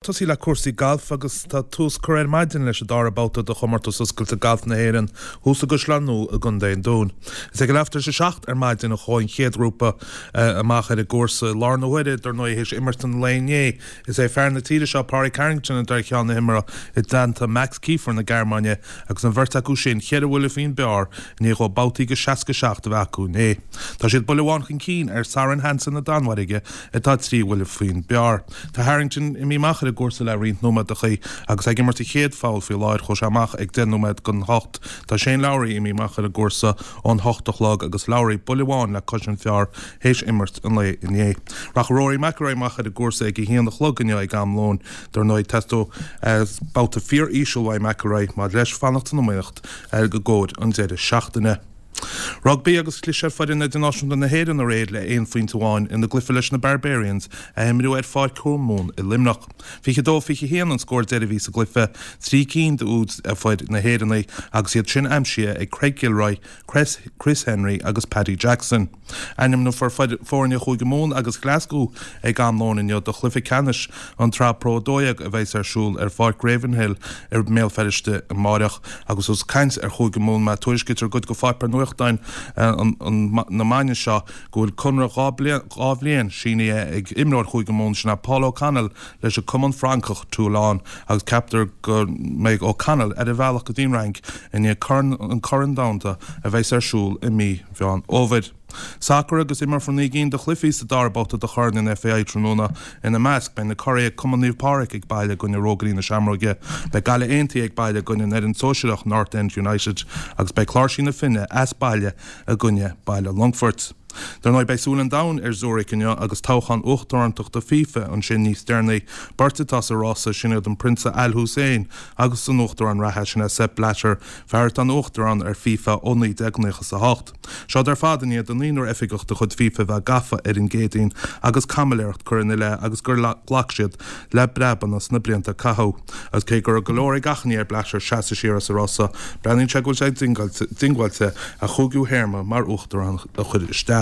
Tosaí le cúrsaí gailf agus tá tús curtha ar maidin leis an dara babhta de Chomórtas Oscailte Gailf na hÉireann thuas i gCaisleán Nua i gContae an Dúin. Is ag a leath tar éis a 7 ar maidin a chuaigh an chéad ghrúpa amach ar an gcúrsa. I láthair na huaire, dar ndóigh, théis imirt an lae inné, is é fear na tíre seo, Pádraig Harrington, atá ar cheann na himeartha i dteannta Max Kieffer na Gearmáine agus an bheirt acu sin cheithre bhuille faoin bpar i ndiaidh dhóibh babhtaí de 67 a bheith acu inné. Tá siad buille amháin chun cinn ar Soren Hansen na Danmhairge atá trí bhuille faoin bpar. Tá Harrington imithe amach ar an gcúrsa le roinnt nóiméadachaí agus é ag imirt a chéad pholl faoi láthair. Chuaigh sé amach ag 10 nóiméad don hocht. Tá Shane Lowry imithe amach ar an gcúrsa ón hocht a chlog agus Lowry buille amháin le cois an phar théis imirt an lae inné. Rachaidh Rory McIlroy amach ar an gcúrsa ag a haon a chlog inniu ag am lóin. Dar ndóigh teastóidh babhta fíor-íseal uaidh McIlroy maidir leis fanacht san iomaíocht i gcomhair an deireadh seachtaine. Rugbaí agus chlis ar foireann idirnáisiúnta na hÉireann aréir le aon phointe amháin ina gcluiche leis na Barbarians a imríodh ar Pháirc Thuamhumhan i Luimneach. 22, 21 an scór deiridh a bhí sa gcluiche, trí cinn d'úid fir na hÉireann agus iad sin aimsithe ag Craig Gilroy, Chris Henry agus Paddy Jackson. Ainmneofar foirne Chúige Mumhan agus Ghlaschú ag am lóin inniu do chluiche ceannais an tSraith Pro 12 a bheas ar siúl ar Pháirc Ravenhill i mBéal Feirste amáireach. Agus ós ag caint ar Chúige Mumhan má tuairiscítear i gcuid de pháipéir nuachtáin na maidine seo go bhfuil conradh 2 bhliain sínithe ag imreoir Chúige Mumhan, sin é Paul O'Connell, leis an cumann Francach Toulon agus ceaptar go mbeidh O'Connell ar a bhealach go dtí an Fhrainc i ndiaidh an Corn Domhanda a bheas ar siúl i mí Mheán Fhómhair. Sacar agus imreofar 9 gcinn de chluichí sa dara babhta de Chorn an FAI tráthnóna. Ina measc, beidh na curaidh Cumann Naomh Pádraig ag baile i gcoinne Rógairí na Seamróige, beidh Gaillimh Aontaithe ag baile i gcoinne an fhoireann sóisearach North End United agus beidh Cláirsí na Finne as baile i gcoinne Baile Longfoirt. Dar ndóigh, beidh súil an domhain ar Zurich inniu agus toghchán uachtarántachta FIFA ansin níos deireanaí. Beirt atá sa rása, sin iad an Prionsa Al Hussein agus an Uachtarán reatha, sin é Sepp Blatter, fear atá ina Uachtarán ar FIFA ó 1998. Seod ar fad i ndiaidh do naonúr oifigeach de chuid FIFA bheith gafa ar an gCéadaoin agus caimiléireacht curtha ina leith agus gur ghlac siad le breabanna sna blianta a caitheadh. Agus cé go raibh go leor ag achainí ar Blatter seasamh siar as an rása, breathnaíonn sé go bhfuil sé diongbháilte a chúigiú théarma mar uachtarán a chur isteach.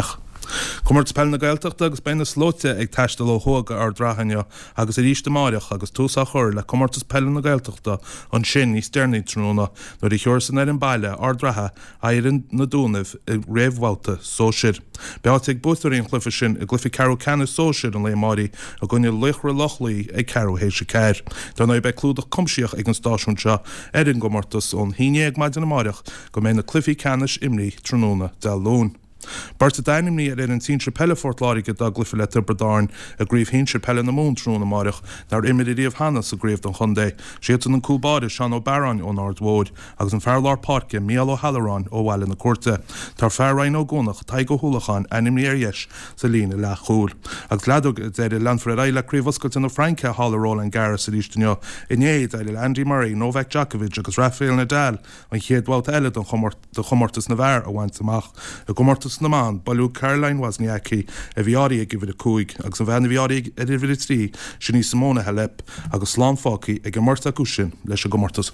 Comórtas Peile na Gaeltachta agus beidh na slóite ag taisteal ó thuaidh go Ard Ratha inniu agus arís amáireach agus tús á chur le Comórtas Peile na Gaeltachta ansin níos deireanaí tráthnóna nuair a thiúrfas an fhoireann baile, Ard Ratha, aghaidh ar Na Dúnaibh i réamhbhabhta sóisir. Beidh áit ag buaiteoirí an chluiche sin i gcluiche ceathrú ceannais sóisir an lae amáirigh i gcoinne Laochra Loch Lao ag ceathrú théis a ceathair. Dar ndóigh beidh clúdach cuimsitheach ag an stáisiún seo ar an gcomórtas ón haon dhéag maidin amáireach go mbeidh na cluichí ceannais imrithe tráthnóna Dé Luain. Beirt atá ainmnithe ar fhoireann sinsir peile Phort Láirge dá gcluiche le Tiobraid Árann i gCraobh Shinsir Peile na Mumhan tráthnóna amáireach nár imir ariamh cheana sa gcraobh don chontae. Siadsan an cúl báire Seán Ó Bearáin ón Aird Mhóir agus an fear lár páirce Mícheál Ó hAlluráin ó Bhaile na Cúirte. Tá fear Rinn Ó gCuanach, Tadhg Ó hUallacháin, ainmnithe ar dheis sa líne leathchúil. Agus leadóg ar deireadh, leanfar ar aghaidh le Craobh Oscailte na Fraince thall i Roland Garros arís inniu. Inné, d'éirigh le Andy Murray, Novak Djokovic agus Rafael Nadal an chéad bhabhta eile de chomórtas na bhfear a bhaint amach. I gcomórtas na mban, buaileadh Caroline Wozniacki, a bhí áirithe ag uimhir 5, agus an bhean a bhí áirithe ar uimhir 3, sin í Simona Halep, agus slán fágtha ag an mbeirt acu sin leis an gcomórtas.